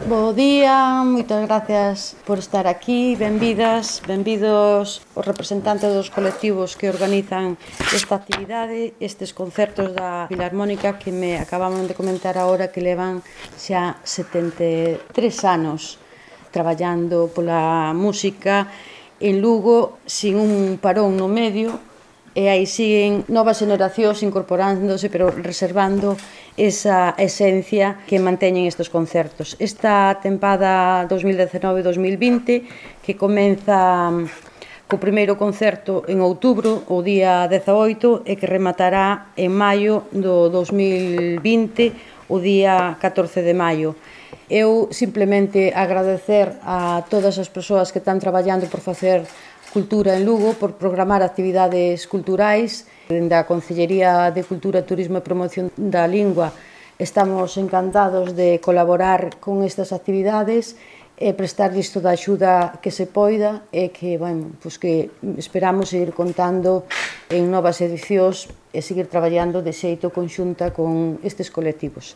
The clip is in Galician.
Bo día, moitas gracias por estar aquí, benvidas, benvidos os representantes dos colectivos que organizan esta actividade, estes concertos da Filarmónica que me acababan de comentar agora que levan xa 73 anos traballando pola música en Lugo sin un parón no medio, e aí siguen novas xeracións incorporándose, pero reservando esa esencia que manteñen estes concertos. Esta tempada 2019-2020, que comeza co primeiro concerto en outubro, o día 18, e que rematará en maio do 2020, o día 14 de maio. Eu simplemente agradecer a todas as persoas que están traballando por facer cultura en Lugo, por programar actividades culturais. Dende a Concellería de Cultura, Turismo e Promoción da Lingua estamos encantados de colaborar con estas actividades e prestarlles toda a axuda que se poida e que, bueno, pues que esperamos seguir contando en novas edicións e seguir traballando de xeito conxunta con estes colectivos.